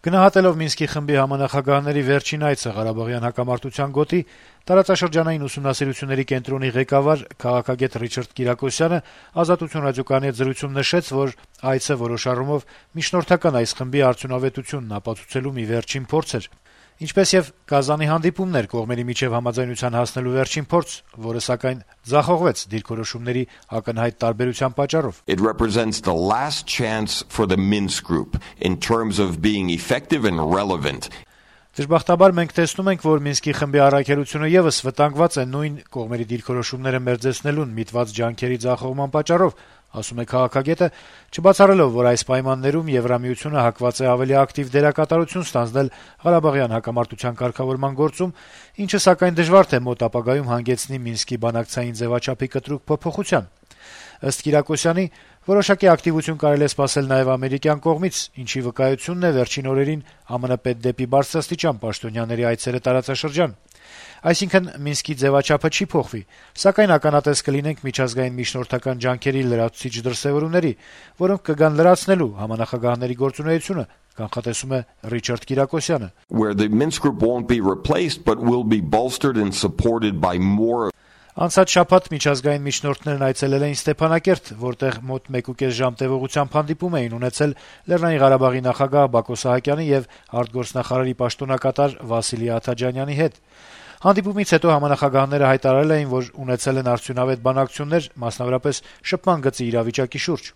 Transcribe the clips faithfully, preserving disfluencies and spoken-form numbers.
Գնահատելով Մինսկի խմբի համանախագահների վերջին այցը Ղարաբաղյան հակամարտության գոտի, տարածաշրջանային ուսումնասիրությունների կենտրոնի ղեկավար քաղաքագետ Ռիչարդ Կիրակոսյանը «Ազատություն» ռադիոկայանի հետ զրույցում նշեց, որ այցը որոշ առումով միջնորդական այս խմբի արդյունավետությունն ապացուցելու մի վերջին փորձ էր, ինչպես եւ Կազանի հանդիպումներ կողմերի միջեւ համաձայնության հասնելու վերջին փորձ, որը սակայն ձախողվեց դիրքորոշումների ակնհայտ տարբերության պատճառով. It represents the last chance for the Minsk group in terms of being effective and relevant. Դժբախտաբար մենք տեսնում ենք, որ Մինսկի խմբի առաքելությունը եւս վտանգված է նույն կողմերի դիրքորոշումները մերձեցնելուն միտված ջանքերի ձախողման պատճառով, ասում է քաղաքագետը, չբացառելով, որ այս պայմաններում Եվրամիությունը հակված է ավելի ակտիվ դերակատարություն ստանձնել Ղարաբաղյան հակամարտության կարգավորման գործում, ինչը սակայն դժվար թե մոտ ապագայում հանգեցնի Մինսկի բանակցային ձևաչափի կտրուկ փոփոխության։ Ըստ Կիրակոսյանի, որոշակի ակտիվություն կարելի է սպասել նաև ամերիկյան կողմից, ինչի վկայությունն է վերջին օրերին ԱՄՆ պետդեպի բարձրաստիճան պաշտոնյաների այցերը տարածաշրջան։ Այսինքն Մինսկի ձևաչափը չի փոխվի, սակայն ականատես կլինենք միջազգային միջնորդական ջանքերի լրացուցիչ դրսեւորումների, որոնք կգան լրացնելու համանախագահների գործունեությունը, կանխատեսում է Ռիչարդ Կիրակոսյանը. Where the Minsk group won't be replaced but will be bolstered and supported by more. Անցած շաբաթ միջազգային միջնորդներն այցելել էին Ստեփանակերտ, որտեղ մոտ մեկուկես ժամ տևողությամբ հանդիպում էին ունեցել Լեռնային Ղարաբաղի նախագահ Բակո Սահակյանի եւ արտգործնախարարի պաշտոնակատար Վասիլի Աթաջանյանի հետ։ Հանդիպումից հետո համանախագահները հայտարարել էին, որ ունեցել են արդյունավետ բանակցություններ, մասնավորապես շփման գծի իրավիճակի շուրջ։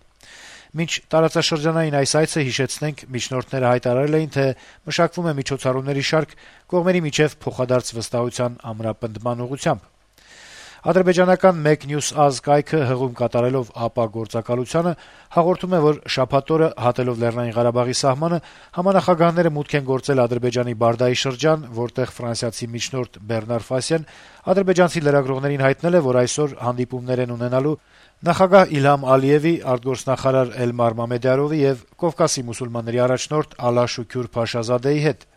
Մինչ տարածաշրջանային այս այցը, հիշեցնենք, միջնորդները հայտարարել էին, թե մշակվում է միջոցառումների շարք կողմերի միջև փոխադարձ վստահության ամրապնդման ուղղությամբ։ Ադրբեջանական մեկ News Az կայքը հղում կատարելով ԱՊԱ գործակալությանը հաղորդում է, որ շաբաթ օրը հատելով Լեռնային Ղարաբաղի սահմանը համանախագահները մուտք են գործել Ադրբեջանի Բարդայի շրջան, որտեղ ֆրանսիացի միջնորդ Բեռնար Ֆասյան ադրբեջանցի լրագրողներին հայտնել է, որ այսօր հանդիպումներ են ունենալու նախագահ Իլհամ Ալիևի, արտգործնախարար Էլմար Մամեդյարովի եւ Կովկասի մուսուլմանների առաջնորդ Ալա Շուքյուր Փաշազադեի հետ։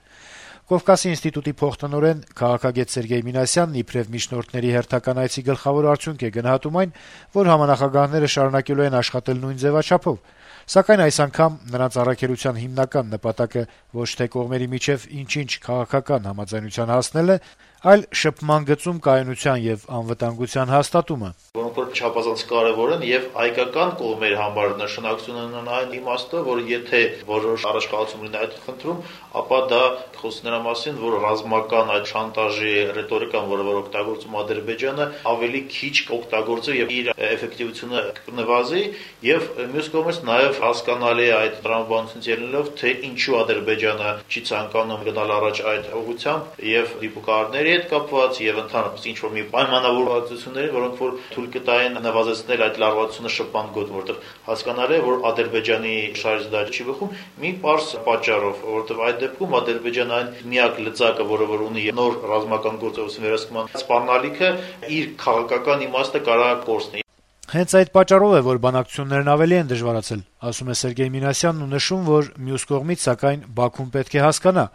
Կովկասի ինստիտուտի փոխտնօրեն քաղաքագետ Սերգեյ Մինասյանն իբրև միջնորդների հերթական այցի գլխավոր արդյունք է գնահատում այն, որ համանախագահները շարունակելու են աշխատել նույն ձևաչափով, սակայն այս անգամ նրանց առաքելության հիմնական նպատակը ոչ թե կողմերի միջև ինչ-ինչ քաղաքական համաձայնության հասնելն է, այլ շփման գծում կայունության եւ անվտանգության հաստատումը, որոնք որ չափազանց կարեւոր են եւ հայկական կողմերի համար նշանակություն ունեն այն իմաստով, որ եթե որոշ առաջխաղացում լինի այդ խնդրում, ապա դա խոսք նրա մասին, որ ռազմական այդ շանտաժի ռետորիկան, որը որ օգտագործում Ադրբեջանը, ավելի քիչ կօգտագործի եւ իր էֆեկտիվությունը կնվազի եւ մյուս կողմից նաեւ հասկանալի է այդ տրամաբանությունից ելնելով, թե ինչու Ադրբեջանը չի ցանկանում գնալ առաջ այդ ուղղությամբ եւ դիպուկարների հետ կապված եւ ընդհանրապես ինչ որ մի պայմանավորվածությունների, որոնք որ թույլ կտային նվազեցնել այդ լարվածությունը շփման գոտում, որտեղ հասկանալի է, որ Ադրբեջանի շարժը դա չի բխում մի պարզ պատճառով, որովհետեւ այդ դեպքում Ադրբեջանը այն միակ լծակը, որը որ ունի նոր ռազմական գործողություն վերահսկման սպառնալիքը, իր քաղաքական իմաստը կարա կորցնի։ Հենց այդ պատճառով է, որ բանակցություններն ավելի են դժվարացել, ասում է Սերգեյ Մինասյանն ու նշում, որ մյուս կողմից սակայն Բաքուն պետք է հասկանա,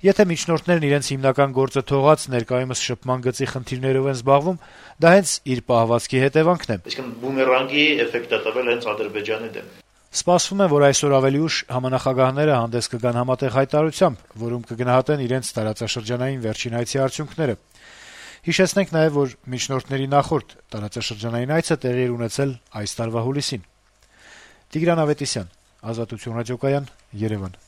եթե միջնորդներն իրենց հիմնական գործը թողած ներկայումս շփման գծի խնդիրներով են զբաղվում, դա հենց իր պահվածքի հետևանքն է։ Այսինքն բումերանգի էֆեկտ է տվել հենց Ադրբեջանի դեմ։ Սպասվում է, որ այսօր ավելի ուշ համանախագահները հանդես կգան համատեղ հայտարարությամբ, որում կգնահատեն իրենց տարածաշրջանային վերջին այցի արդյունքները։ Հիշեցնենք նաև, որ միջնորդների նախորդ տարածաշրջանային այցը տեղի էր ունեցել այս տարվա հուլիսին։ Տիգրան Ավետիսյան, Ազատություն ռադիոկայան, Երևան։